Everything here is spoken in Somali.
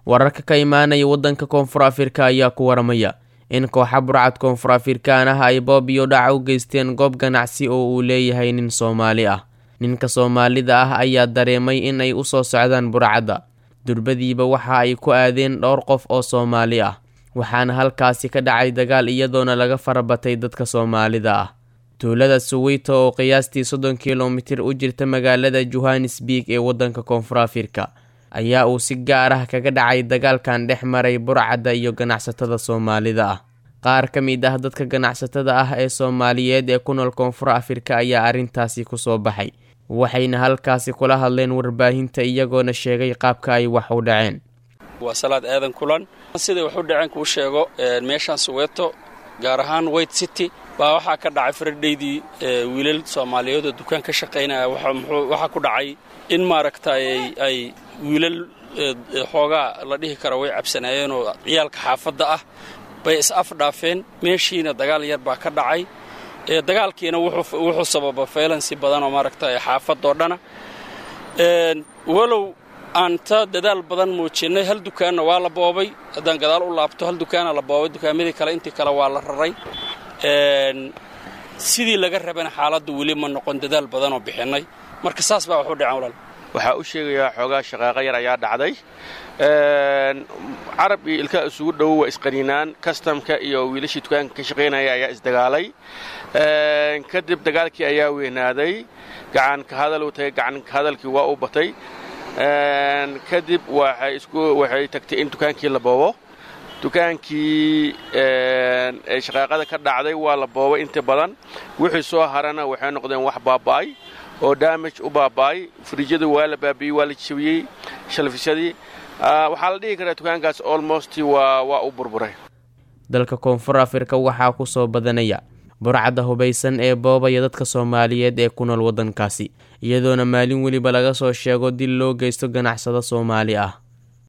Wararka ka imaanaya waddanka Koonfur Afrika ayaa ku waramaya in kooxa burcad Koonfur Afrikaan ah ay boob iyo dhac u geysteen goob ganacsi oo uu leeyahay nin Soomaali ah. Ninka Soomaalida ah ayaa dareemay in ay usoo socdaan burcadda. Durbadiiba waxa ay ku aadeen dhowr qof oo Soomaali ah, waxaana halkaasi ka dhacay dagaal, iyadoona laga farabatay dadka Soomaalida ah. Tuulada Suweyto oo qiyaastii 30 kilomitir u jirta magaalada Johannesburg ee waddanka Koonfur Afrika ayaa uu si gaar ah kaga dhacay dagaalkan dhex maray burcadda iyo ganacsatada Soomaalida ah. Qaar ka mid ah dadka ganacsatada ah ee Soomaaliyeed ee ku nool Koonfur Afrika ayaa arrintaasi kusoo baxay, waxayna halkaasi kula hadleen warbaahinta, iyagoona sheegay qaabka ay wax u dhaceen. Waa Salaad Aadan Kulan. Siday wax u dhaceen kuu sheego, meeshaan Soweto, gaar ahaan White City, baa waxaa ka dhacay Fridaydii wiilal Soomaaliyeed oo dukaan ka shaqaynaya. Waxaa ku dhacay in maaragtay ay wiilal xoogaa la dhihi kara way cabsanaayeenoo ciyaalka xaafadda ah bay is afdhaafeen. Meeshiina dagaal yar baa ka dhacay. Dagaalkiina wuxuu sababa violence badan oo maaragtay xaafadoo dhana, walow aan ta dadaal badan muujinnay. Hal dukaanna waa la boobay. Haddaan gadaal u laabto, hal dukaana la boobay, dukaamadii kale intii kale waa la raray. Sidii laga rabana xaaladdu weli ma noqon, dadaal badanoo bixinnay. Marka saas baa wax u dhaceen, walaal. Waxaa u sheegayaa xoogaa shaqaaqa yar ayaa dhacday. Carab iyo ilkaa isugu dhow waa isqaniinaan. Kastamka iyo wiilashii dukaanka ka shaqaynaya ayaa isdagaalay. Kadib dagaalkii ayaa weynaaday, gacan ka hadal uu tagay, gacan ka hadalkii waa u batay. Kadib waxay tagtay in dukaankii la boobo. Dukaankii shaqaaqada ka dhacday waa la boobay inta badan. Wixii soo harana waxay noqdeen wax baaba'ay oo damage u baaba'ay. Fridge-yada waa la baabiyey, waa la jabiyey, shelves-yadii. Waxaa la dhihi karaa dukaankaas almost waa u burburay. Dalka Koonfur Afrika waxaa ku soo badanaya burcadda hubaysan ee boobaya dadka Soomaaliyeed ee ku nool waddankaasi, iyadoona maalin weliba laga soo sheego dil loo geysto ganacsado Soomaali ah.